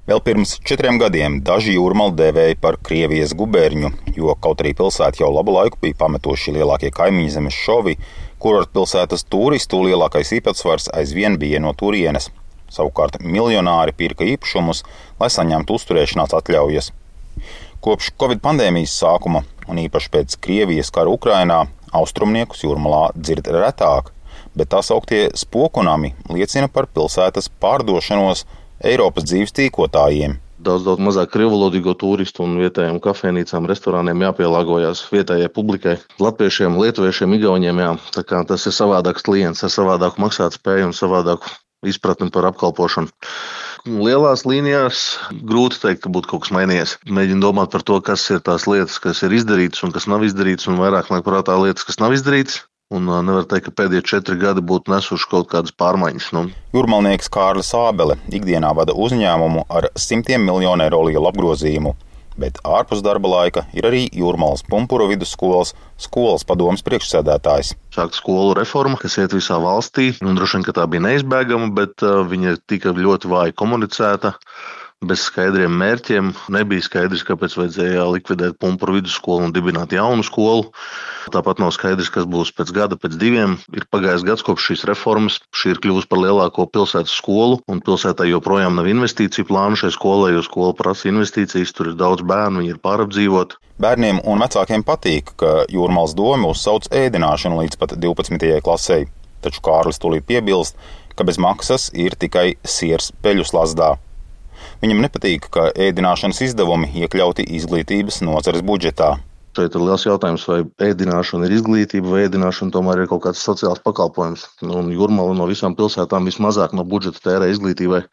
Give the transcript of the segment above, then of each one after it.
Vēl pirms 4 gadiem daži Jūrmalu dēvēja par Krievijas guberniju, jo kaut arī pilsēta jau labu laiku bija pametuši lielākie kaimiņzemes šovi, kurortpilsētas turistu lielākais īpatsvars aizvien bija no turienes. Savukārt miljonāri pirka īpašumus, lai saņemtu uzturēšanās atļaujas. Kopš Covid pandēmijas sākuma, un īpaši pēc Krievijas kara Ukrainā, austrumniekus Jūrmalā dzird retāk, bet tā sauktie spokunami liecina par pilsētas pārdošanos Eiropas dzīves tīkotājiem. Daudz mazāk krievalodīgo turistu un vietējiem kafejnīcām, restorāniem jāpielāgojas vietējai publikai, latviešiem, lietuviešiem, igauņiem, jā. Tā kā tas ir savādāks klients ar savādāku maksātspēju un savādāku izpratni par apkalpošanu. Lielās līnijās grūti teikt, ka būtu kaut kas mainījies. Mēģinu domāt par to, kas ir tās lietas, kas ir izdarītas un kas nav izdarītas, un vairāk nāk prātā lietas, kas nav izdarītas. Un nevar teikt, ka pēdējie 4 gadi būtu nesuši kaut kādas pārmaiņas. Jūrmalnieks Kārlis Ābele ikdienā vada uzņēmumu ar simtiem miljonu eiro lielu apgrozījumu, bet ārpus darba laika ir arī Jūrmalas Pumpuru vidusskolas skolas padomes priekšsēdētājs. Sākta skolu reforma, kas iet visā valstī, un droši vien, ka tā bija neizbēgama, bet viņa tika ļoti vāji komunicēta. Bez skaidriem mērķiem nebija skaidrs, kāpēc vajadzēja likvidēt Pumpuru vidusskolu un dibināt jaunu skolu. Tāpat nav skaidrs, kas būs pēc gada, pēc 2. Ir pagājis gads kopš šīs reformas. Šī ir kļuvusi par lielāko pilsētas skolu, un pilsētā joprojām nav investīciju plānu šai skolai, jo skola prasa investīcijas, tur ir daudz bērnu, viņi ir pārapdzīvoti. Bērniem un vecākiem patīk, ka Jūrmalas doma uzsauc ēdināšanu līdz pat 12. klasei, taču Kārlis tūlīt piebilst, ka bez maksas ir tikai siers peļu slazdā. Viņam nepatīk, ka ēdināšanas izdevumi iekļauti izglītības nozares budžetā. Šeit ir liels jautājums, vai ēdināšana ir izglītība, vai ēdināšana tomēr ir kaut kāds sociāls pakalpojums. Un Jūrmala no visām pilsētām vismazāk no budžeta tērē izglītībai.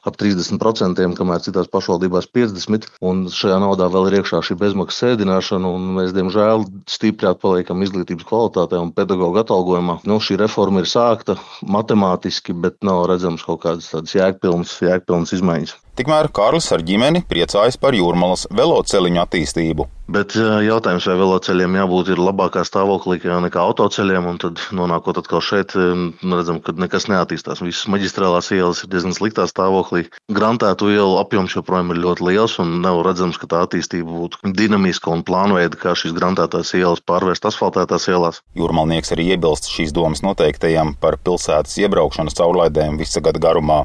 Ap 30%, kamēr citās pašvaldībās 50%, un šajā naudā vēl ir iekšā šī bezmaksas ēdināšana, un mēs, diemžēl, stipri atpaliekam izglītības kvalitātē un pedagoģa atalgojumā. Šī reforma ir sākta matemātiski, bet nav redzams kaut kādas tādas jēgpilnas izmaiņas. Tikmēr Kārlis ar ģimeni priecājas par Jūrmalas veloceliņu attīstību. Bet jautājums, vai veloceļiem jābūt ir labākā stāvoklī nekā autoceļiem, un tad nonākot atkal šeit, redzam, ka nekas neattīstās. Visas maģistrālās ielas ir diezgan sliktā stāvoklī. Grantētu ielu apjoms joprojām ir ļoti liels, un nav redzams, ka tā attīstība būtu dinamiska un plānveida, kā šīs grantētās ielas pārvērst asfaltētās ielās. Jūrmalnieks arī iebilst šīs domas noteiktajam par pilsētas iebraukšanas caurlaidēm visa gada garumā.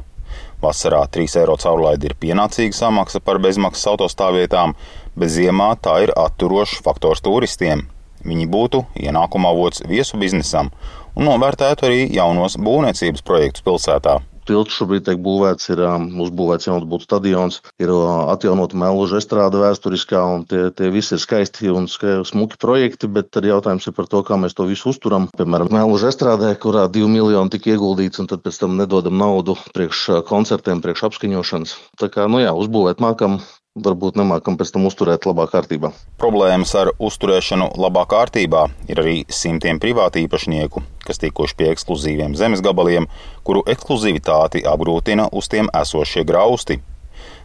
Vasarā 3 eiro caurlaide ir pienācīga samaksa par bezmaksas autostāvvietām, bet ziemā tā ir atturošs faktors turistiem. Viņi būtu ienākuma avots viesu biznesam un novērtētu arī jaunos būvniecības projektus pilsētā. Tilts šobrīd tiek būvēts, ir uzbūvēts jauns būtu stadions, ir atjaunota Melluža estrāde vēsturiskā, un tie visi ir skaisti un smuki projekti, bet tad jautājums ir par to, kā mēs to visu uzturam. Piemēram, Melluža estrādē, kurā 2 miljoni tika ieguldīts, un tad pēc tam nedodam naudu priekš koncertiem, priekš apskaņošanas. Tā kā, uzbūvēt mākam, varbūt nemākam pēc tam uzturēt labā kārtībā. Problēmas ar uzturēšanu labā kārtībā ir arī simtiem privāti īpašnieku, kas tikuši pie ekskluzīviem zemes gabaliem, kuru ekskluzivitāti apgrūtina uz tiem esošie grausti.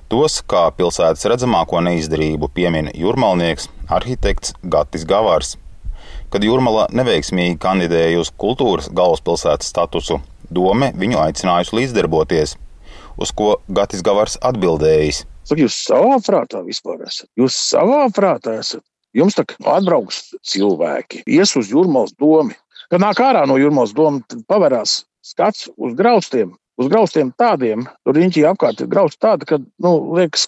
Tos, kā pilsētas redzamāko neizdarību, piemin jūrmalnieks arhitekts Gatis Gavars. Kad Jūrmala neveiksmīgi kandidēja uz kultūras galvaspilsētas statusu, dome viņu aicinājusi līdzdarboties, uz ko Gatis Gavars atbildējis. Jūs savā prātā vispār esat? Jūs savā prātā esat? Jums tā atbrauks cilvēki, ies uz Jūrmalas domu. Kad nāk ārā no Jūrmalas domu, tad paverās skats uz graustiem. Uz graustiem tādiem, tur riņķī apkārt ir grausti tādi, ka, liekas,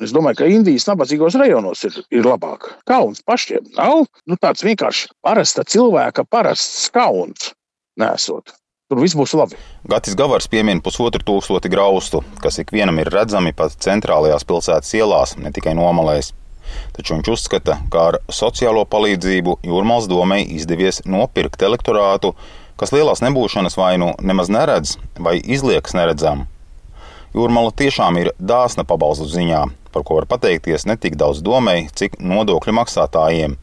es domāju, ka Indijas nabadzīgos rajonos ir labāk. Kauns pašiem nav, tāds vienkārši parasta cilvēka, parasts kauns nesot. Tur viss būs labi. Gatis Gavars piemin 1500 graustu, kas ikvienam ir redzami pat centrālajās pilsētas ielās, ne tikai nomalēs. Taču viņš uzskata, ka ar sociālo palīdzību Jūrmalas domei izdevies nopirkt elektorātu, kas lielās nebūšanas vai nemaz neredz vai izliekas neredzam. Jūrmala tiešām ir dāsna pabalstu ziņā, par ko var pateikties ne tik daudz domei, cik nodokļu maksātājiem.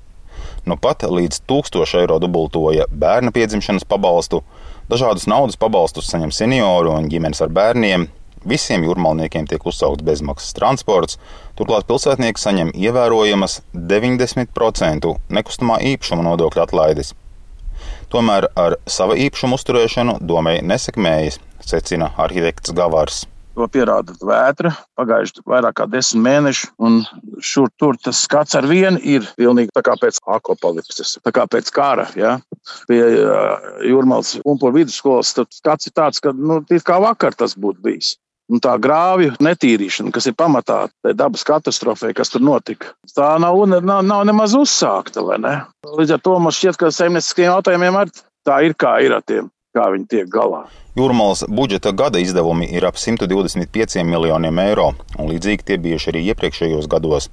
Pat līdz 1000 eiro dubultoja bērna piedzimšanas pabalstu, dažādus naudas pabalstus saņem senioru un ģimenes ar bērniem, visiem jūrmalniekiem tiek uzsaukts bezmaksas transports, turklāt pilsētnieki saņem ievērojamas 90% nekustamā īpašuma nodokļa atlaides. Tomēr ar sava īpašuma uzturēšanu domei nesekmējas, secina arhitekts Gavars. To pierāda vētra, pagājuši vairāk kā 10 mēneši, un šur tur tas skats ar vienu ir pilnīgi tā kā pēc apokalipses, tā kā pēc kara, ja. Pie Jūrmālas Pumpuru vidusskolas skats ir tāds, ka, it kā vakar tas būtu bijis. Un tā grāvju netīrīšana, kas ir pamatā tai dabas katastrofai, kas tur notika, tā nav nemaz uzsākta, vai ne? Līdz ar to man šķiet, ka saimnieciskiem jautājumiem arī tā ir, kā ir ar tiem, kā viņi tiek galā. Jūrmalas budžeta gada izdevumi ir ap 125 miljoniem eiro, un līdzīgi tie bijuši arī iepriekšējos gados.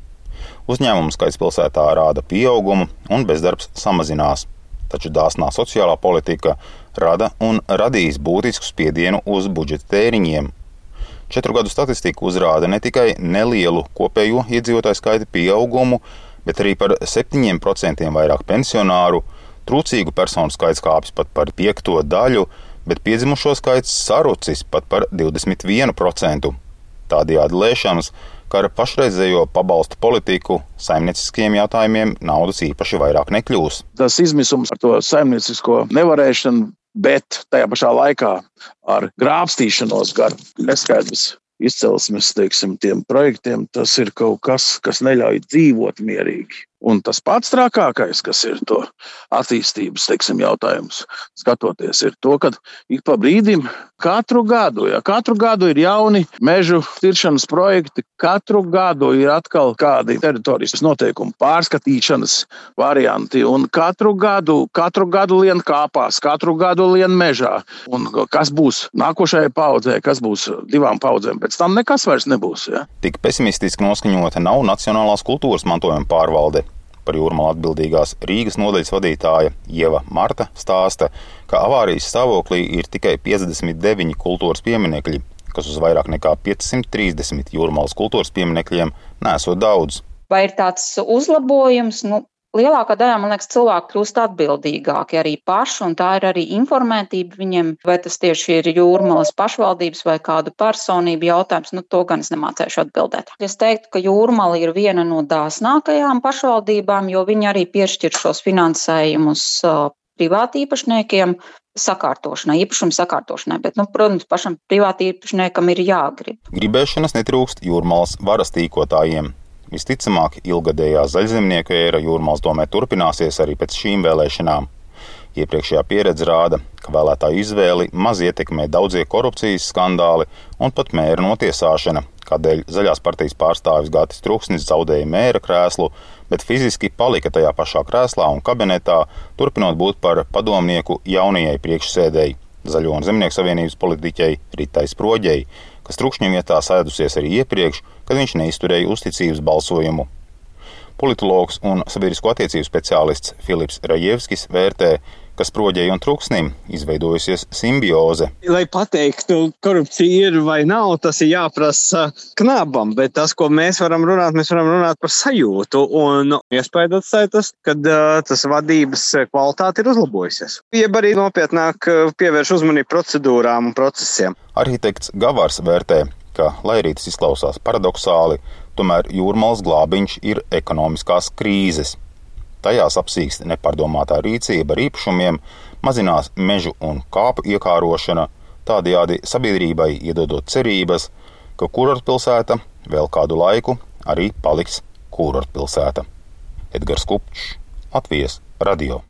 Uzņēmumu skaits pilsētā rāda pieaugumu, un bezdarbs samazinās. Taču dāsnā sociālā politika rada un radīs būtisku spiedienu uz budžeta tēriņiem. 4 gadu statistika uzrāda ne tikai nelielu kopējo iedzīvotāju skaita pieaugumu, bet arī par 7% vairāk pensionāru, trūcīgu personu skaits kāpjas pat par 5 daļu, bet piedzimušo skaits sarucis pat par 21%. Tādējādi lēšams, ka ar pašreizējo pabalstu politiku saimnieciskiem jautājumiem naudas īpaši vairāk nekļūs. Tas izmisums ar to saimniecisko nevarēšanu, bet tajā pašā laikā ar grābstīšanos gar neskaidrs izcelsmes, tiem projektiem, tas ir kaut kas, kas neļauj dzīvot mierīgi. Un tas pats trakākais, kas ir to attīstības, jautājums, skatoties, ir to, ka ik pa brīdim katru gadu ir jauni mežu tiršanas projekti, katru gadu ir atkal kādi teritorijas noteikumu pārskatīšanas varianti, un katru gadu lien kāpās, katru gadu lien mežā. Un kas būs nākošajai paudzē, kas būs 2 paudzēm, pēc tam nekas vairs nebūs. Ja? Tik pesimistiski noskaņota nav Nacionālās kultūras mantojuma pārvalde. Par Jūrmalu atbildīgās Rīgas nodaļas vadītāja Ieva Marta stāsta, ka avārijas stāvoklī ir tikai 59 kultūras pieminekļi, kas uz vairāk nekā 530 Jūrmalas kultūras pieminekļiem nesot daudz. Vai ir tāds uzlabojums? Lielākā daļā, man liekas, cilvēki kļūst atbildīgāki arī paši, un tā ir arī informētība viņiem, vai tas tieši ir Jūrmalas pašvaldības vai kādu personību jautājums, to gan es nemācēšu atbildēt. Es teiktu, ka Jūrmala ir viena no dāsnākajām pašvaldībām, jo viņi arī piešķir šos finansējumus privāti īpašniekiem sakārtošanai, īpašumu sakārtošanai, bet, protams, pašam privāti īpašniekam ir jāgrib. Gribēšanas netrūkst Jūrmalas varas tīkotājiem. Visticamāk, ilgadējā zaļzemnieku ēra Jūrmalas domē turpināsies arī pēc šīm vēlēšanām. Iepriekšējā pieredze rāda, ka vēlētāju izvēli maz ietekmē daudzie korupcijas skandāli un pat mēra notiesāšana, kādēļ Zaļās partijas pārstāvis Gatis Truksnis zaudēja mēra krēslu, bet fiziski palika tajā pašā krēslā un kabinetā, turpinot būt par padomnieku jaunajai priekšsēdēji, Zaļo un Zemnieku savienības politiķei Ritai Sproģei, kas Trukšņa vietā sēdusies arī iepriekš, kad viņš neizturēja uzticības balsojumu. Politologs un sabiedrisko attiecību speciālists Filips Rajevskis vērtē, ka Sproģei un Truksnim izveidojusies simbioze. Lai pateiktu, korupcija ir vai nav, tas ir jāprasa knabam, bet tas, ko mēs varam runāt par sajūtu, un iespēja atstāja tas, kad tas vadības kvalitāte ir uzlabojusies. Jeb arī nopietnāk pievērš uzmanību procedūrām un procesiem. Arhitekts Gavars vērtē, ka, lai arī tas izklausās paradoxāli, tomēr Jūrmalas glābiņš ir ekonomiskās krīzes. Tajās apsīkst nepārdomātā rīcība ar īpašumiem, mazinās mežu un kāpu iekārošana, tādējādi sabiedrībai iedodot cerības, ka kurortpilsēta vēl kādu laiku arī paliks kurortpilsēta. Edgars Kupčs, Latvijas radio.